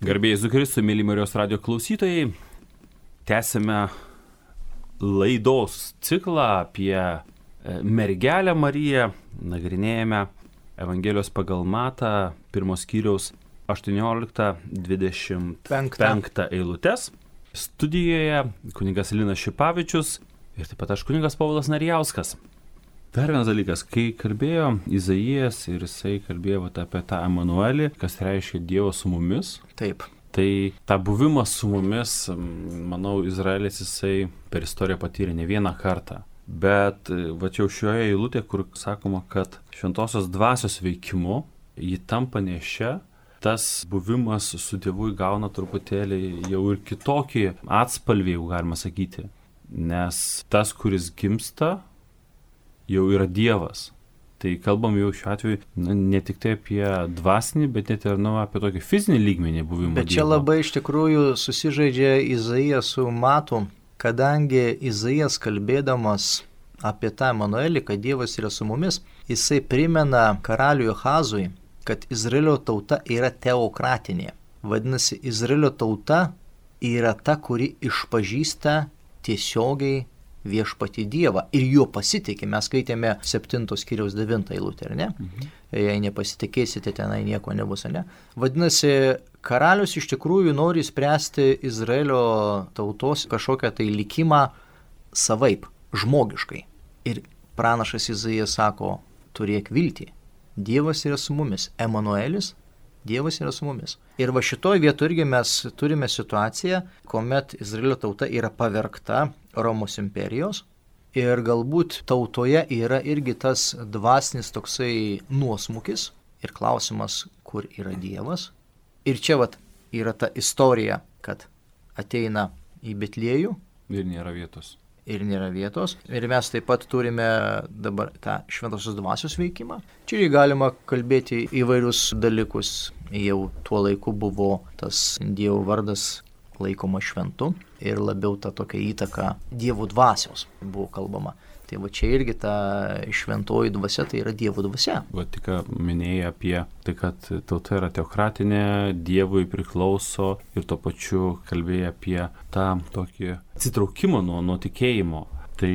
Garbėjai Jėzui Kristui, mėly Marijos radijo klausytojai, tęsime laidos ciklą apie mergelę Mariją, nagrinėjame Evangelijos pagal Matą, 1 skyriaus 18-25 eilutes. Studijoje kunigas Linas Šipavičius ir taip pat aš kunigas Povilas Narijauskas. Dar vienas dalykas, kai kalbėjo Izaijas ir jisai kalbėjo apie tą Emanuelį, kas reiškia Dievo su mumis. Taip. Tai tą buvimą su mumis, manau, Izraelis jisai per istoriją patyrė ne vieną kartą. Bet va čia šioje eilutėje, kur sakoma, kad šventosios dvasios veikimu jį tampa nešia, tas buvimas su Dievu įgauna truputėlį jau ir kitokį atspalvį, jau galima sakyti. Nes tas, kuris gimsta, jau yra Dievas. Tai kalbam jau šiuo atveju ne tik tai apie dvasinį, bet net ir apie tokį fizinį lygmenį buvimą. Bet čia Dievo. Labai iš tikrųjų susižaidžia Izaijas su Matu, kadangi Izaijas kalbėdamas apie tą Emanuelį, kad Dievas yra su mumis, jisai primena karaliui Ahazui, kad Izraelio tauta yra teokratinė. Vadinasi, Izraelio tauta yra ta, kuri išpažįsta tiesiogiai viešpatį Dievą ir juo pasitikė. Mes skaitėme 7 skyriaus 9 eilutę, ar ne? Jei nepasitikėsite, tenai nieko nebus, ar ne? Vadinasi, karalius iš tikrųjų nori spręsti Izraelio tautos kažkokią tai likimą savaip, žmogiškai. Ir pranašas Izaijas sako, turėk viltį. Dievas yra su mumis. Emanuelis, Dievas yra su mumis. Ir va šitoj vietoje irgi mes turime situaciją, kuomet Izraelio tauta yra pavergta Romos imperijos ir galbūt tautoje yra irgi tas dvasinis toksai nuosmukis ir klausimas, kur yra Dievas. Ir čia vat yra ta istorija, kad ateina į Betliejų ir nėra vietos. Ir mes taip pat turime dabar tą šventosios dvasios veikimą. Čia galima kalbėti įvairius dalykus. Jau tuo laiku buvo tas Dievo vardas laikoma šventu ir labiau ta tokia įtaka Dievo dvasios buvo kalbama. Tai va čia irgi ta šventoji dvasia, tai yra Dievo dvasia. Va tik minėjai apie tai, kad tauta yra teokratinė, Dievui priklauso ir tuo pačiu kalbėjai apie tą tokį atsitraukimą nuo tikėjimo. Tai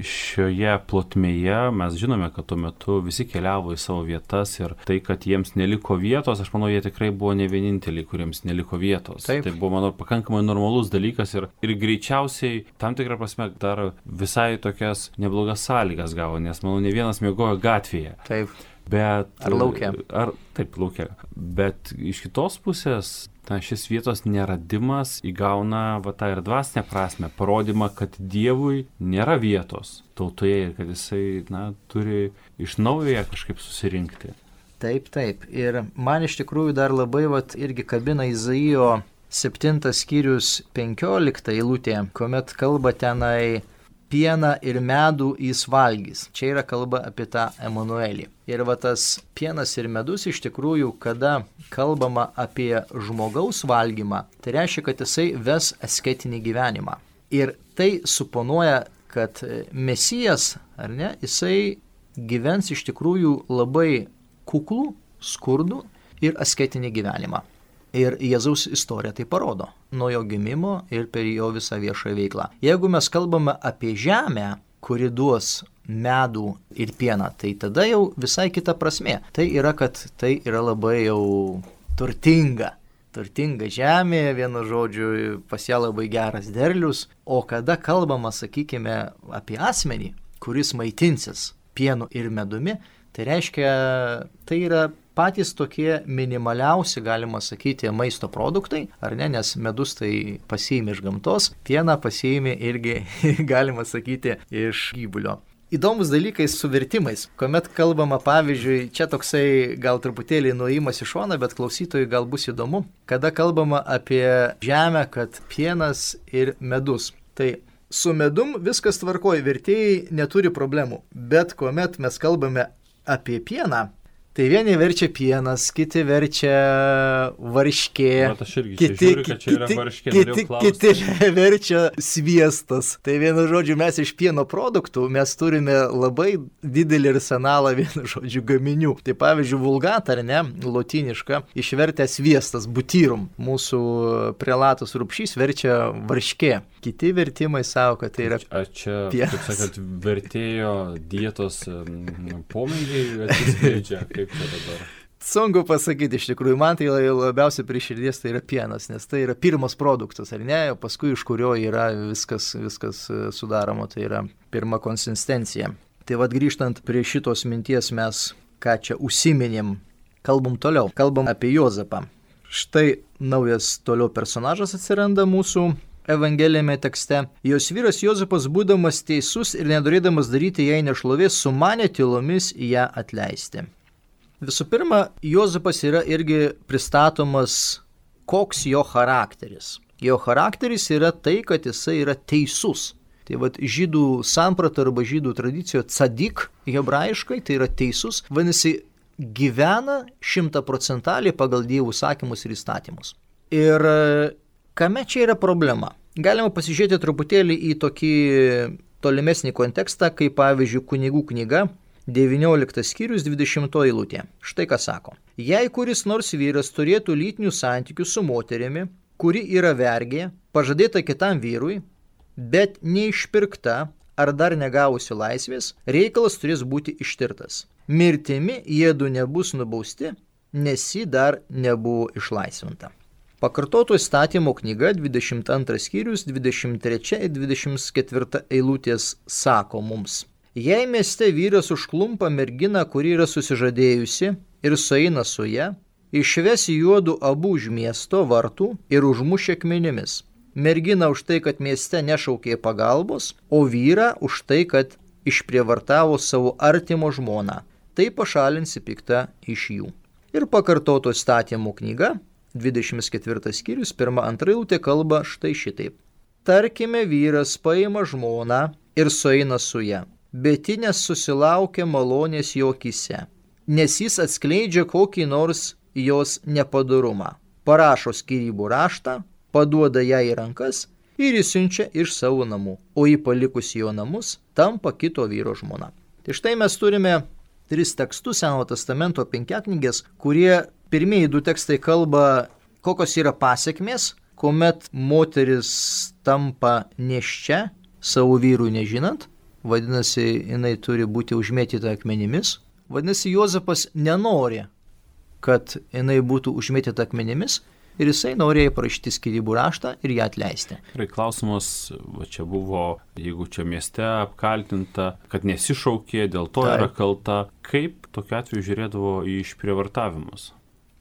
šioje plotmėje mes žinome, kad tuo metu visi keliavo į savo vietas ir tai, kad jiems neliko vietos, aš manau, jie tikrai buvo ne vieninteliai, kuriems neliko vietos. Taip. Tai buvo, manau, pakankamai normalus dalykas ir greičiausiai tam tikrą prasme dar visai tokias neblogas sąlygas gavo, nes, manau, ne vienas miegojo gatvėje. Taip. Bet, ar lauke. Taip, lauke. Bet iš kitos pusės šis vietos neradimas įgauna tą ir dvasinę prasme, parodymą, kad Dievui nėra vietos tautoje ir kad jisai turi iš naujo ją kažkaip susirinkti. Taip. Ir man iš tikrųjų dar labai irgi kabina Izaijo 7 skyrius 15 eilutė, kuomet kalba tenai pieną ir medų jis valgys. Čia yra kalba apie tą Emanuelį. Ir tas pienas ir medus iš tikrųjų, kada kalbama apie žmogaus valgymą, tai reiškia, kad jisai ves asketinį gyvenimą. Ir tai suponuoja, kad Mesijas, ar ne, jisai gyvens iš tikrųjų labai kuklų, skurdų ir asketinį gyvenimą. Ir Jėzaus istorija tai parodo, nuo jo gimimo ir per jo visą viešą veiklą. Jeigu mes kalbame apie žemę, kuri duos medų ir pieną, tai tada jau visai kita prasmė. Tai yra, kad tai yra labai jau turtinga žemė, vienu žodžiu, pas ją labai geras derlius. O kada kalbama, sakykime, apie asmenį, kuris maitinsis pienu ir medumi, tai reiškia, tai yra patys tokie minimaliausi, galima sakyti, maisto produktai, ar ne, nes medus tai pasiimi iš gamtos, pieną pasiimi irgi, galima sakyti, iš gyvulio. Įdomus dalykai su vertimais, kuomet kalbama, pavyzdžiui, čia toksai gal truputėlį nuėjimas į šoną, bet klausytojui gal bus įdomu, kada kalbama apie žemę, kad pienas ir medus. Tai su medum viskas tvarkoja, vertėjai neturi problemų, bet kuomet mes kalbame apie pieną, Tai vieni verčia pienas, kiti verčia varškė, kiti verčia sviestas. Tai vienu žodžiu, mes iš pieno produktų mes turime labai didelį arsenalą vienu žodžiu gaminių. Tai pavyzdžiui, vulgata, ar ne, lotyniška, išvertė sviestas, butyrum. Mūsų prelatas Rupšys verčia varškė. Kiti vertimai savo, kad tai yra čia, pienas. Kaip sakant, vertėjo dietos pomėgiai atsiskleidžia. Kaip čia dabar? Sunku pasakyti, iš tikrųjų, man tai labiausiai prie širdies tai yra pienas, nes tai yra pirmas produktas, ar ne, paskui iš kurio yra viskas sudaroma, tai yra pirma konsistencija. Tai vad grįžtant prie šitos minties mes, ką čia užsiminėm, kalbam toliau, kalbam apie Juozapą. Štai naujas toliau personažas atsiranda mūsų evangelijame tekste. Jos vyras Juozapas, būdamas teisus ir nenorėdamas daryti jai nešlovės, sumanė tylomis ją atleisti. Visų pirma, Juozapas yra irgi pristatomas, koks jo charakteris. Jo charakteris yra tai, kad jisai yra teisus. Tai vad žydų samprata arba žydų tradicijo tzadik hebrajiškai, tai yra teisus, vadinasi, gyvena 100% pagal Dievo sakymus ir įstatymus. Ir kame čia yra problema? Galima pasižiūrėti truputėlį į tokį tolimesnį kontekstą, kaip pavyzdžiui Kunigų knyga, 19 skyrius 20 eilutė. Štai ką sako. Jei kuris nors vyras turėtų lytinių santykių su moterimi, kuri yra vergė, pažadėta kitam vyrui, bet neišpirkta ar dar negavusi laisvės, reikalas turės būti ištirtas. Mirtimi jiedu nebus nubausti, nes ji dar nebuvo išlaisvinta. Pakartoto įstatymo knyga 22 skyrius 23 ir 24 eilutės sako mums. Jei mieste vyras užklumpa merginą, kuri yra susižadėjusi ir sueina su ja, išves juodu abu už miesto vartų ir užmuš akmenimis. Mergina už tai, kad mieste nešaukė pagalbos, o vyrą už tai, kad išprievartavo savo artimo žmoną. Tai pašalinsi piktą iš jų. Ir pakartoto įstatymo knyga 24 skyrius, 1-2 eilutė kalba štai šitaip. Tarkime, vyras paima žmoną ir sueina su ja, bet ji nesusilaukia malonės jo akyse, nes jis atskleidžia kokį nors jos nepadorumą. Parašo skyrybų raštą, paduoda ją į rankas ir išsiunčia iš savo namų, o jį palikusi jo namus tampa kito vyro žmona. Tai štai mes turime 3 tekstus Senojo testamento 5 knygės, kurie pirmieji 2 tekstai kalba, kokios yra pasekmės, kuomet moteris tampa nėščia, savo vyrų nežinant, vadinasi, jinai turi būti užmėtyta akmenimis. Vadinasi, Juozapas nenori, kad jinai būtų užmėtyta akmenimis ir jisai norėjo parašyti skyrybų raštą ir ją atleisti. Ir klausimas, va čia buvo, jeigu čia mieste apkaltinta, kad nesišaukė, dėl to yra kalta, kaip tokiu atveju žiūrėdavo į išprievartavimus?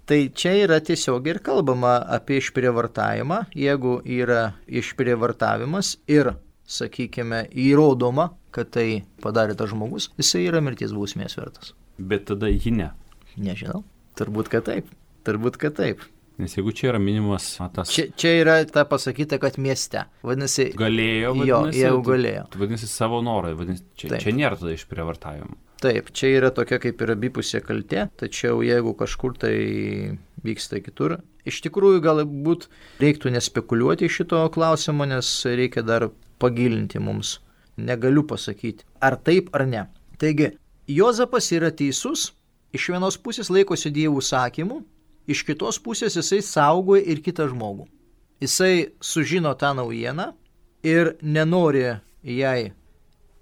Tai čia yra tiesiog ir kalbama apie išprievartavimą, jeigu yra išprievartavimas ir, sakykime, įrodoma, kad tai padarė tas žmogus, jisai yra mirties bausmės vertas. Bet tada ji ne. Nežinau, turbūt kad taip. Nes jeigu čia yra minimas tas... Čia yra ta pasakyta, kad mieste. Vadinasi... Galėjo, vadinasi. Jo, galėjo. Vadinasi savo norai, vadinasi, čia nėra tada išprievartavimo. Taip, čia yra tokia kaip ir abipusė kaltė, tačiau jeigu kažkur tai vyksta kitur, iš tikrųjų galbūt reiktų nespekuliuoti šito klausimo, nes reikia dar pagilinti mums. Negaliu pasakyti, ar taip ar ne. Taigi, Juozapas yra teisus, iš vienos pusės laikosi Dievo sakymų, iš kitos pusės jisai saugoja ir kitą žmogų. Jisai sužino tą naujieną ir nenori jai.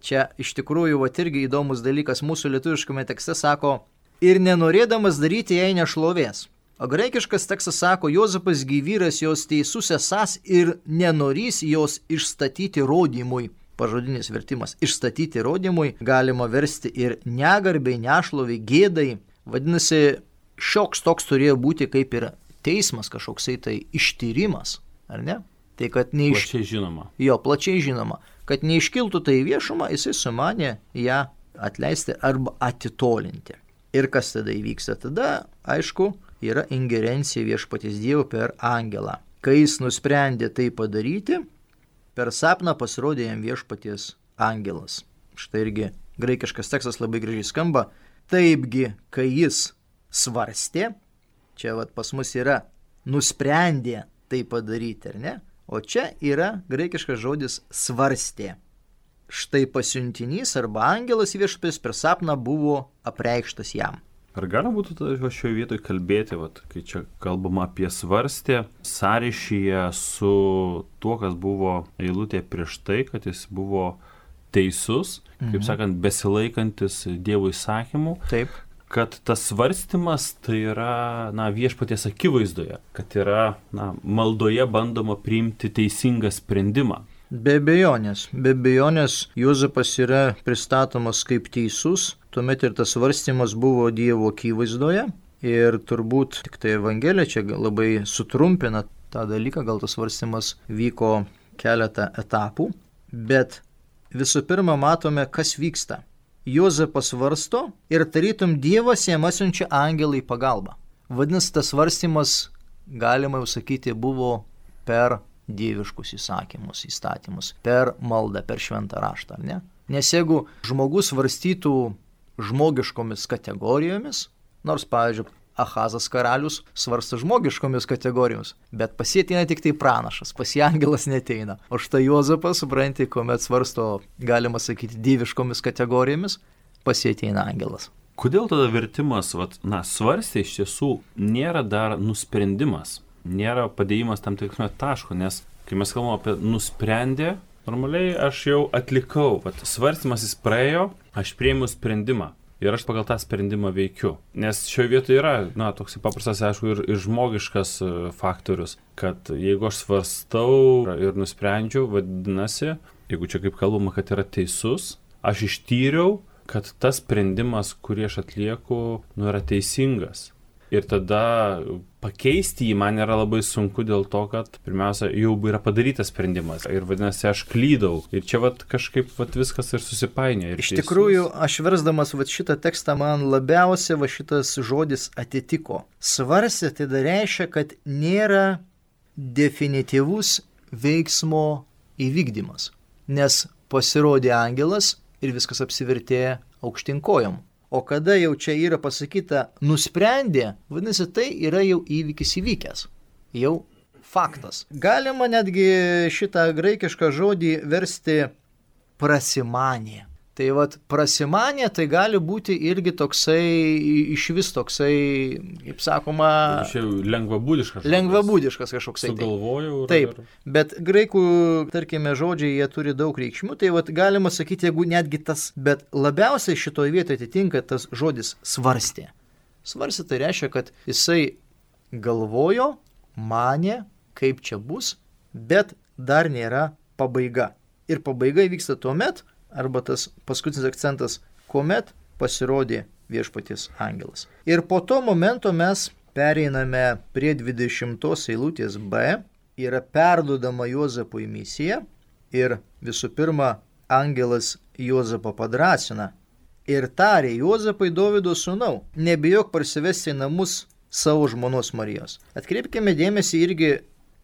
Čia iš tikrųjų irgi įdomus dalykas mūsų lietuviškame tekste sako, ir nenorėdamas daryti jai nešlovės. O graikiškas tekstas sako, Juozapas gyvyras jos teisus esąs ir nenorys jos išstatyti rodymui. Pažodinis vertimas. Išstatyti rodymui galima versti ir negarbiai, nešloviai, gėdai. Vadinasi, šioks toks turėjo būti kaip ir teismas, kažkoksai tai ištyrimas, ar ne? Tai kad plačiai žinoma. Jo, plačiai žinoma. Kad neiškiltų tai viešumą, jisai sumanė ją atleisti arba atitolinti. Ir kas tada įvyksta? Tada, aišku, yra ingerencija viešpaties Dievo per angelą. Kai jis nusprendė tai padaryti, per sapną pasirodė jam viešpaties angelas. Štai irgi graikiškas tekstas labai gražiai skamba. Taipgi, kai jis svarstė. Čia pas mus yra nusprendė tai padaryti, ar ne? O čia yra graikiškas žodis svarstė. Štai pasiuntinys arba angelas viešpaties per sapną buvo apreikštas jam. Ar galima būtų šioje vietoje kalbėti, kai čia kalbama apie svarstę, sąryšyje su tuo, kas buvo eilutė prieš tai, kad jis buvo teisus, kaip sakant, besilaikantis Dievo įsakymų. Taip. Kad tas svarstymas tai yra viešpaties akivaizdoje, kad yra maldoje bandoma priimti teisingą sprendimą. Be abejonės Juozapas yra pristatomas kaip teisus, tuomet ir tas svarstymas buvo Dievo akivaizdoje ir turbūt tik tai Evangelija čia labai sutrumpina tą dalyką, gal tas svarstymas vyko keletą etapų, bet visų pirma matome, kas vyksta. Juozapas svarsto ir tarytum Dievas jam atsiunčia angelą į pagalbą. Vadinasi, tas svarstymas, galima jau sakyti, buvo per dieviškus įstatymus, per maldą, per šventą raštą, ar ne? Nes jeigu žmogus svarstytų žmogiškomis kategorijomis, nors, pavyzdžiui, Ahazas karalius svarsto žmogiškomis kategorijomis, bet pas jį ateina tik tai pranašas, pas jį angelas neteina. O štai Juozapas, supranti, kuomet svarsto, galima sakyti, dieviškomis kategorijomis, pas jį ateina angelas. Kodėl tada vertimas, svarstė iš tiesų nėra dar nusprendimas, nėra padėjimas tam tikrame taško, nes kai mes kalbame apie nusprendę, normaliai aš jau atlikau, svarstymas jis praėjo, aš priėmiau sprendimą. Ir aš pagal tą sprendimą veikiu. Nes šioje vietoje yra, toks paprastas, aišku, ir žmogiškas faktorius, kad jeigu aš svarstau ir nusprendžiu, vadinasi, jeigu čia kaip kalbama, kad yra teisus, aš ištyriau, kad tas sprendimas, kurį aš atlieku, yra teisingas. Ir tada pakeisti jį man yra labai sunku dėl to, kad pirmiausia, jau yra padarytas sprendimas. Ir vadinasi, aš klydau. Ir čia kažkaip viskas ir susipainioja. Iš tikrųjų, aš versdamas šitą tekstą, man labiausiai šitas žodis atitiko. Svarstė tai reiškia, kad nėra definityvus veiksmo įvykdymas. Nes pasirodė angelas ir viskas apsivertė aukštyn kojom. O kada jau čia yra pasakyta nusprendė, vadinasi, tai yra jau įvykis įvykęs. Jau faktas. Galima netgi šitą graikišką žodį versti prasimanė. Tai prasimanė tai gali būti irgi toksai, išvis toksai, kaip sakoma... Lengvabūdiškas kažkoksai. Sugalvojau. Taip, bet graikų, tarkime, žodžiai, jie turi daug reikšmių, tai galima sakyti, jeigu netgi tas, bet labiausiai šitoje vietoje atitinka tas žodis svarstė. Svarstė tai reiškia, kad jisai galvojo, manė, kaip čia bus, bet dar nėra pabaiga. Ir pabaiga vyksta tuomet, arba tas paskutinis akcentas, kuomet pasirodė viešpaties angelas. Ir po to momento mes pereiname prie 20 eilutės B, yra perduodama Juozapui misija ir visų pirma angelas Juozapą padrasina ir tarė Juozapai Dovydo sūnau, nebijok parsivesti į namus savo žmonos Marijos. Atkreipkime dėmesį irgi,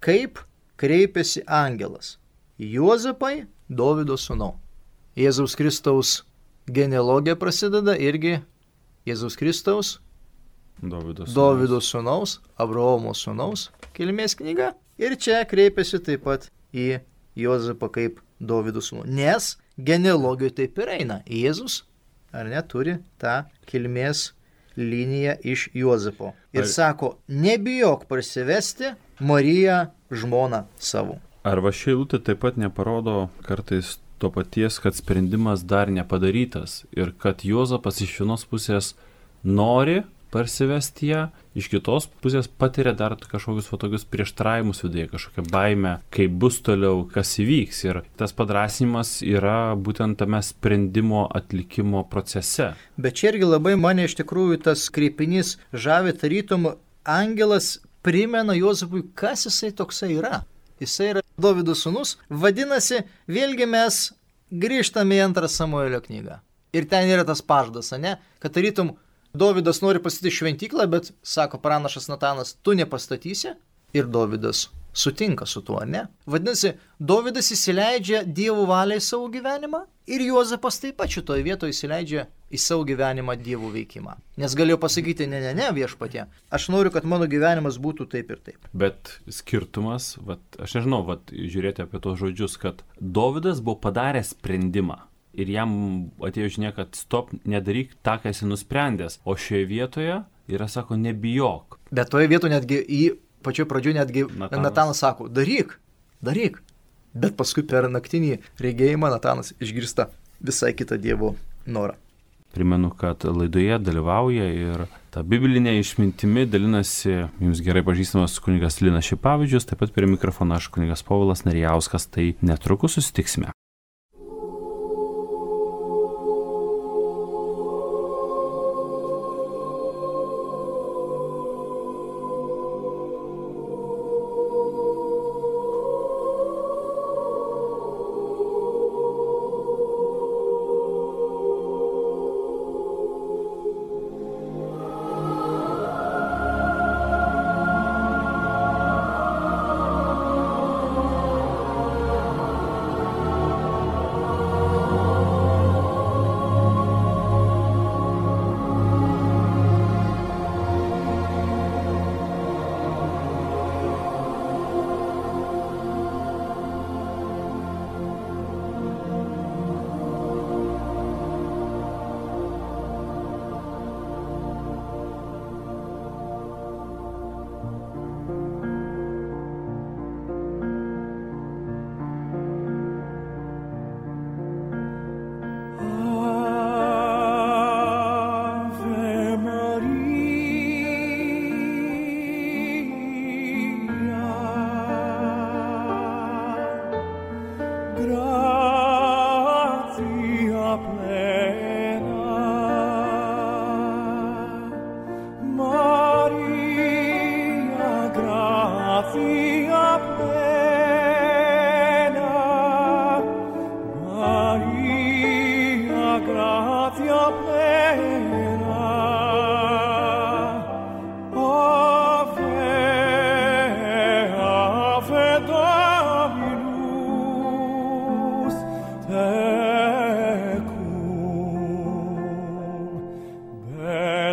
kaip kreipiasi angelas. Juozapai Dovydo sūnau. Jėzaus Kristaus genealogija prasideda irgi Jėzaus Kristaus Dovydo sūnaus, Abraomo sūnaus kilmės knyga. Ir čia kreipiasi taip pat į Juozapą kaip Dovydo sūnų. Nes genealogijoje taip ir eina. Jėzus, ar ne, turi tą kilmės liniją iš Juozapo. Ir sako, nebijok parsivesti Mariją žmoną savo. Arba ši eilutė taip pat neparodo kartais to paties, kad sprendimas dar nepadarytas ir kad Juozapas iš vienos pusės nori parsivesti ją, iš kitos pusės patiria dar kažkokius tokius prieštaraujimus viduje, kažkokią baimę, kaip bus toliau, kas įvyks. Ir tas padrasinimas yra būtent tame sprendimo atlikimo procese. Bet čia irgi labai mane iš tikrųjų tas kreipinys žavi, tarytum angelas primena Juozapui, kas jisai toksai yra. Jisai yra Dovydo sūnus, vadinasi, vėlgi mes grįžtame į 2 Samuelio knygą. Ir ten yra tas pažadas, ne? Kad tarytum Dovydas nori pastatyti šventyklą, bet sako pranašas Natanas, tu nepastatysi. Ir Dovydas sutinka su tuo, ne? Vadinasi, Dovydas įsileidžia Dievo valiai savo gyvenimą ir Juozapas taip pat šitoje vietoje įsileidžia į savo gyvenimą Dievo veikimą. Nes galėjo pasakyti, ne, viešpatie, aš noriu, kad mano gyvenimas būtų taip ir taip. Bet skirtumas, aš nežinau, žiūrėti apie tos žodžius, kad Dovydas buvo padaręs sprendimą ir jam atėjo žinia, kad stop, nedaryk tą, ką esi nusprendęs. O šioje vietoje yra, sako, nebijok. Bet toje vietoje netgi pačioje pradžioje netgi Natanas sako, daryk. Bet paskui per naktinį regėjimą Natanas išgirsta visai kitą Dievo norą. Primenu, kad laidoje dalyvauja ir tą biblinę išmintimi dalinasi jums gerai pažįstamas kunigas Linas Šipavičius, taip pat prie mikrofono aš kunigas Povilas Narijauskas, tai netrukus susitiksime.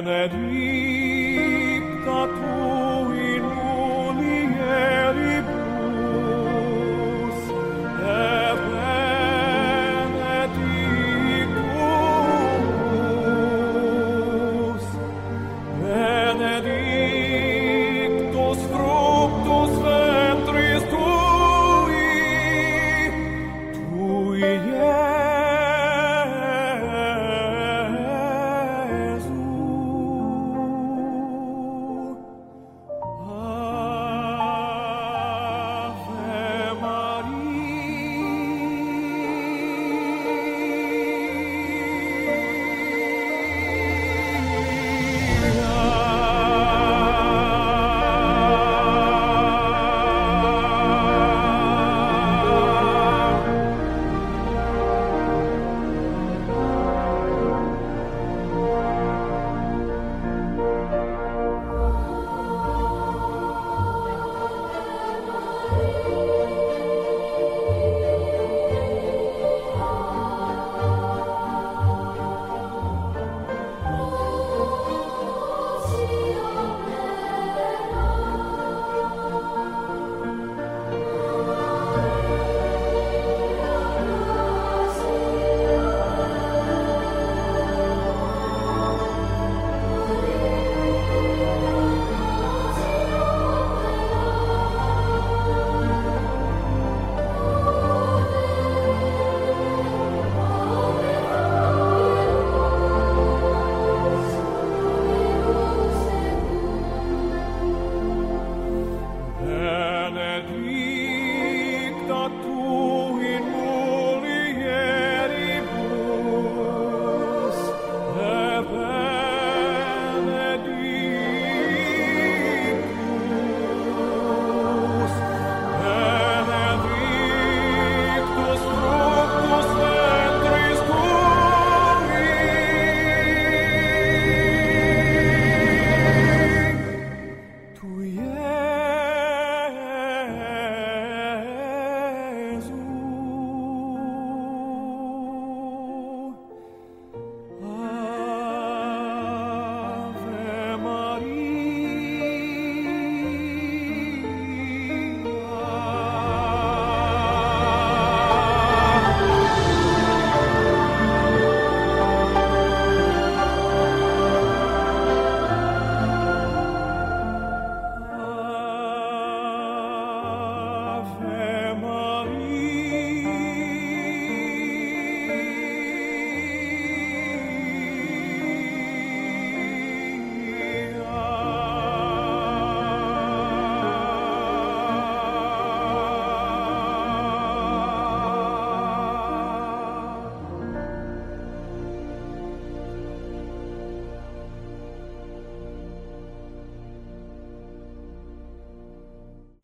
Benedicta tu in mulieribus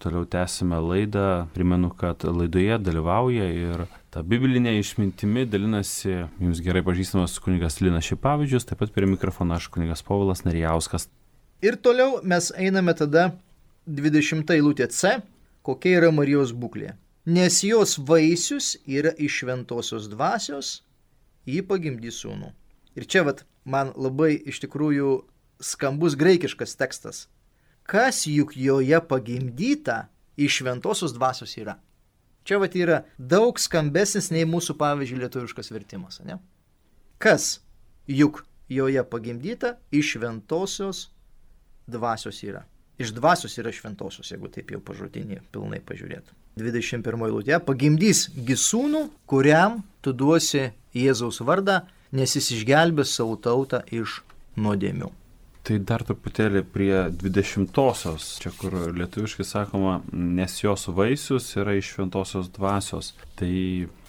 toliau tęsime laidą. Primenu, kad laidoje dalyvauja ir ta biblinė išmintimi dalinasi jums gerai pažįstamas kunigas Linas Šipavičius, taip pat prie mikrofono aš kunigas Povilas Narijauskas. Ir toliau mes einame tada 20 eilutė C, kokia yra Marijos būklė. Nes jos vaisius yra iš šventosios dvasios, ji pagimdys sūnų. Ir čia man labai iš tikrųjų skambus graikiškas tekstas. Kas juk joje pagimdyta iš šventosios dvasios yra. Čia yra daug skambesnis nei mūsų, pavyzdžiui, lietuviškas vertimas. Ne? Kas juk joje pagimdyta iš šventosios dvasios yra. Iš dvasios yra šventosios, jeigu taip jau pažodinį pilnai pažiūrėtų. 21 eilutė. Pagimdys gi sūnų, kuriam tu duosi Jėzaus vardą, nes jis išgelbės savo tautą iš nuodėmių. Tai dar truputėlį prie 20-osios, čia kur lietuviškai sakoma, nes jos vaisius yra iš šventosios dvasios. Tai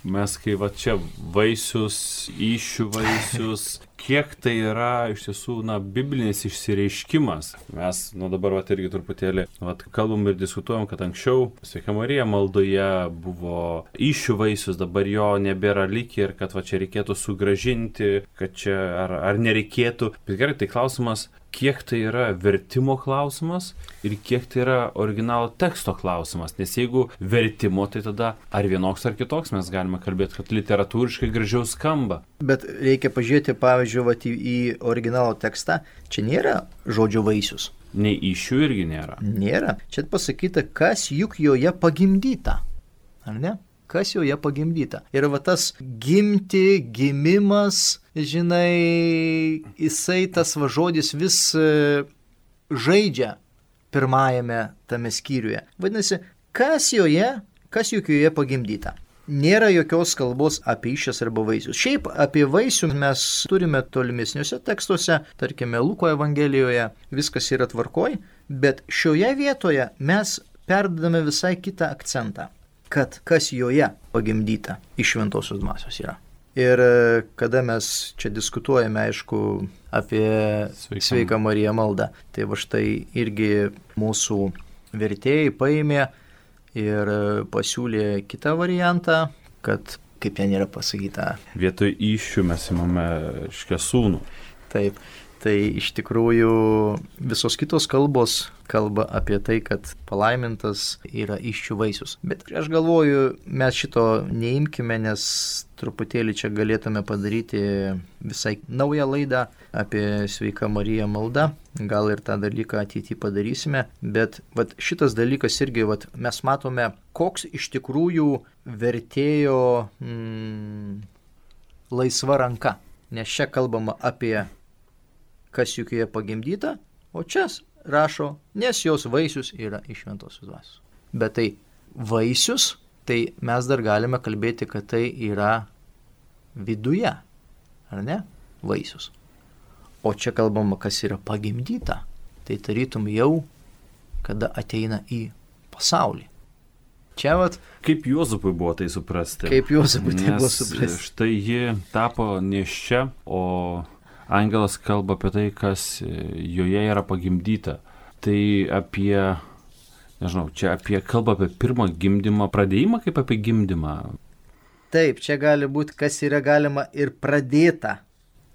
mes kai čia vaisius, įsčių vaisius, kiek tai yra iš tiesų biblinis išsireiškimas. Mes dabar irgi truputėlį kalbam ir diskutuojam, kad anksčiau Sveika Marija maldoje buvo įsčių vaisius, dabar jo nebėra likę ir kad čia reikėtų sugrąžinti, kad čia ar nereikėtų. Bet gerai, tai klausimas, kiek tai yra vertimo klausimas ir kiek tai yra originalo teksto klausimas. Nes jeigu vertimo, tai tada ar vienoks ar kitoks mes galime kalbėti, kad literatūriškai gražiau skamba. Bet reikia pažiūrėti, pavyzdžiui, į originalo tekstą. Čia nėra žodžio vaisius. Nei įsčių irgi nėra. Nėra. Čia pasakyta, kas juk joje pagimdyta. Ar ne? Kas joje pagimdyta. Ir tas gimti, gimimas, jisai tas žodis vis žaidžia pirmajame tame skyriuje. Vadinasi, kas juk joje pagimdyta. Nėra jokios kalbos apie įsčias arba vaisius. Šiaip apie vaisių mes turime tolimesniuose tekstuose, tarkime Luko Evangelijoje, viskas yra tvarkoj, bet šioje vietoje mes perdedame visai kitą akcentą. Kad kas joje pagimdyta iš šventosios dvasios yra. Ir kada mes čia diskutuojame, aišku, apie Sveiką Mariją maldą, tai štai irgi mūsų vertėjai paėmė ir pasiūlė kitą variantą, kad, kaip ten yra pasakyta, vietoj įsčių mes imame sūnų. Taip. Tai iš tikrųjų visos kitos kalbos kalba apie tai, kad palaimintas yra įsčių vaisius. Bet aš galvoju, mes šito neimkime, nes truputėlį čia galėtume padaryti visai naują laidą apie Sveiką Mariją maldą. Gal ir tą dalyką ateityje padarysime. Bet šitas dalykas irgi mes matome, koks iš tikrųjų vertėjo laisva ranka. Nes čia kalbama apie kas juk joje pagimdyta, o čia rašo, nes jos vaisius yra iš šventosios dvasios. Bet tai vaisius, tai mes dar galime kalbėti, kad tai yra viduje, ar ne? Vaisius. O čia kalbama, kas yra pagimdyta, tai tarytum jau, kada ateina į pasaulį. Čia kaip Juozapui buvo tai suprasti. Kaip Juozapui tai buvo suprasti. Štai ji tapo nėščia, o angelas kalba apie tai, kas joje yra pagimdyta. Tai kalba apie pirmą gimdymą, pradėjimą kaip apie gimdymą. Taip, čia gali būti, kas yra galima ir pradėta,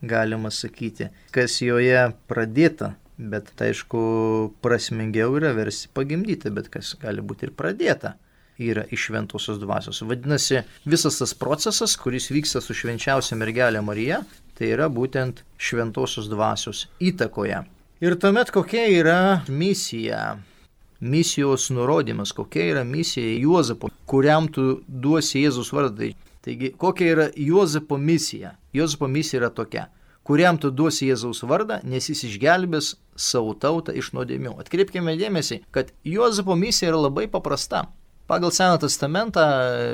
galima sakyti. Kas joje pradėta, bet tai aišku prasmingiau yra versti pagimdyti, bet kas gali būti ir pradėta, yra iš šventosios dvasios. Vadinasi, visas tas procesas, kuris vyksta su švenčiausia mergelė Marija, tai yra būtent šventosios dvasios įtakoje. Ir tuomet kokia yra misija, misijos nurodymas, kokia yra misija Juozapo, kuriam tu duosi Jėzus vardą. Taigi, kokia yra Juozapo misija? Juozapo misija yra tokia, kuriam tu duosi Jėzaus vardą, nes jis išgelbės savo tautą iš nuodėmių. Atkreipkime dėmesį, kad Juozapo misija yra labai paprasta. Pagal Seną testamentą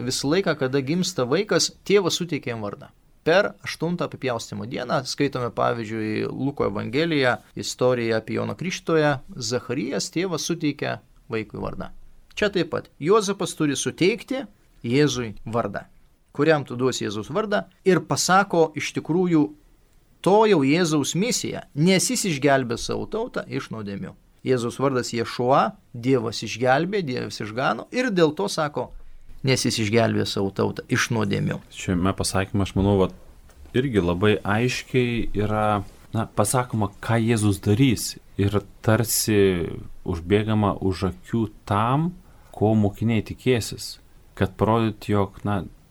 visą laiką, kada gimsta vaikas, tėvas suteikia jam vardą. Per 8 apipjaustymo dieną skaitome, pavyzdžiui, Luko Evangeliją, istoriją apie Joną Krikštytoją, Zacharijas tėvas suteikia vaikui vardą. Čia taip pat Juozapas turi suteikti Jėzui vardą, kuriam tu duosi Jėzaus vardą ir pasako iš tikrųjų to jau Jėzaus misiją, nes jis išgelbės savo tautą iš nuodėmių. Jėzaus vardas Ješua, Dievas išgelbė, Dievas išgano ir dėl to sako, nes jis išgelbė savo tautą iš nuodėmių. Šiame pasakymą, aš manau, irgi labai aiškiai yra pasakoma, ką Jėzus darys ir tarsi užbėgama už akių tam, ko mokiniai tikėsis, kad parodyti, jog,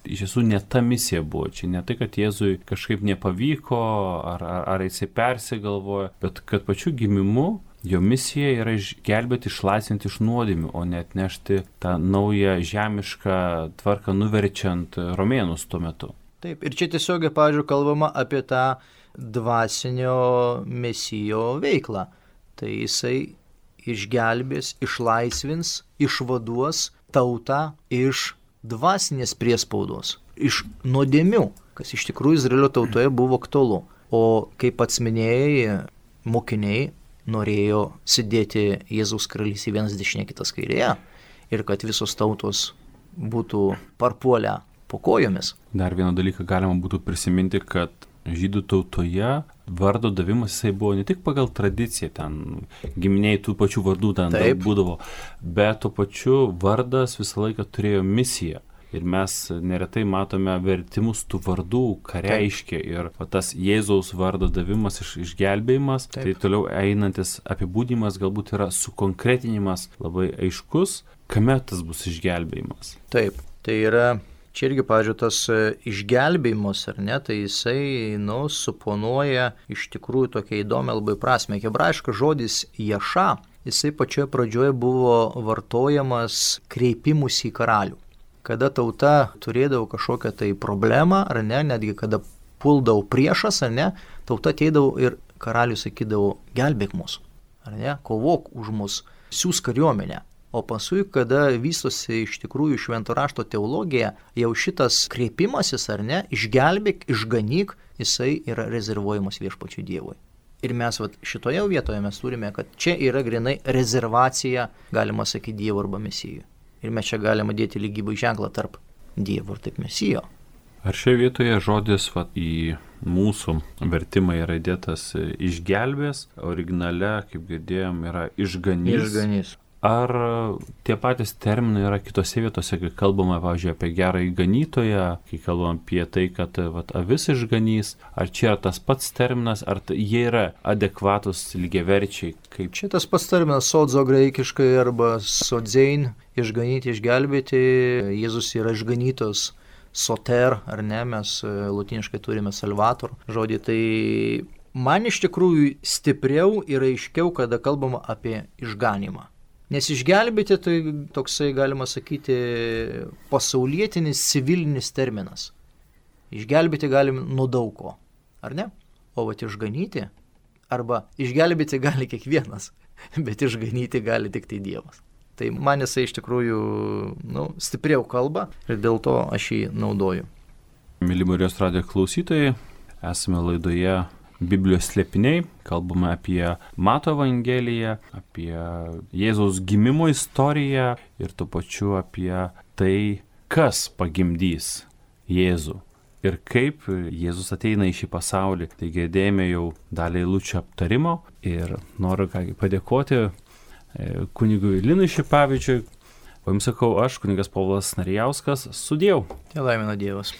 iš tiesų ne ta misija buvo. Čia ne tai, kad Jėzui kažkaip nepavyko, ar jisai persigalvojo, bet kad pačiu gimimu jo misija yra išgelbėti, išlaisvinti iš nuodėmių, o ne atnešti tą naują žemišką tvarką nuverčiant romėnus tuo metu. Taip, ir čia tiesiogiai, pavyzdžiui, kalbama apie tą dvasinio mesijo veiklą. Tai jisai išgelbės, išlaisvins, išvaduos tautą iš dvasinės priespaudos, iš nuodėmių, kas iš tikrųjų Izraelio tautoje buvo aktualu. O kaip pats minėjai, mokiniai norėjo sėdėti Jėzaus karalystėje vienas dešinėje, kitas kairėje ir kad visos tautos būtų parpuolę po kojomis. Dar vieną dalyką galima būtų prisiminti, kad žydų tautoje vardo davimas jisai buvo ne tik pagal tradiciją, ten giminiai tų pačių vardų ten daug būdavo, bet tuo pačiu vardas visą laiką turėjo misiją. Ir mes neretai matome vertimus tų vardų, ką reiškia. Ir tas Jėzaus vardo davimas, išgelbėjimas, tai toliau einantis apibūdimas galbūt yra sukonkretinimas labai aiškus, kame tas bus išgelbėjimas. Taip, tai yra čia irgi, pavyzdžiui, tas išgelbėjimas, ar ne, tai jisai, suponuoja iš tikrųjų tokia įdomi labai prasme. Hebrajiškas žodis jaša, jisai pačioje pradžioje buvo vartojamas kreipimus į karalių. Kada tauta turėdavo kažkokią tai problemą, ar ne, netgi kada puldavo priešas, ar ne, tauta ateidavo ir karalius sakydavo, gelbėk mus, ar ne, kovok už mus, siūs kariuomenę. O paskui, kada vystosi iš tikrųjų švento rašto teologija, jau šitas kreipimasis, ar ne, išgelbėk, išganyk, jisai yra rezervuojamas viešpačiui Dievui. Ir mes šitoje vietoje mes turime, kad čia yra grinai rezervacija, galima sakyti, Dievo arba Mesijų. Ir mes čia galime dėti lygybų ženklą tarp Dievo ir taip Mesijo. Ar šioje vietoje žodis į mūsų vertimą yra įdėtas išgelbės, originale, kaip girdėjom, yra išganys. Išganys. Ar tie patys terminai yra kitose vietose, kai kalbama, pavyzdžiui, apie gerąjį ganytoją, kai kalbam apie tai, kad avis išganys, ar čia yra tas pats terminas, ar jie yra adekvatus lygiaverčiai? Kaip... Čia tas pats terminas sodzo graikiškai arba sodzein, išganyti, išgelbėti, Jėzus yra išganytos soter, ar ne, mes lotiniškai turime salvator žodį, tai man iš tikrųjų stipriau ir aiškiau, kada kalbama apie išganimą. Nes išgelbėti tai toksai, galima sakyti, pasaulietinis, civilinis terminas. Išgelbėti galim nuo daug ko, ar ne? O išganyti, arba išgelbėti gali kiekvienas, bet išganyti gali tik tai Dievas. Tai man jisai iš tikrųjų stipriau kalba ir dėl to aš jį naudoju. Mėly Marijos radijo klausytojai, esame laidoje Biblijos slėpiniai, kalbame apie Mato Evangeliją, apie Jėzaus gimimo istoriją ir tuo pačiu apie tai, kas pagimdys Jėzų ir kaip Jėzus ateina į šį pasaulį. Tai girdėjome jau dalį eilučių aptarimo ir noriu padėkoti kunigui Linui Šipavičiui. O jums sakau aš, kunigas Povilas Narijauskas, sudieu. Te laimina Dievas.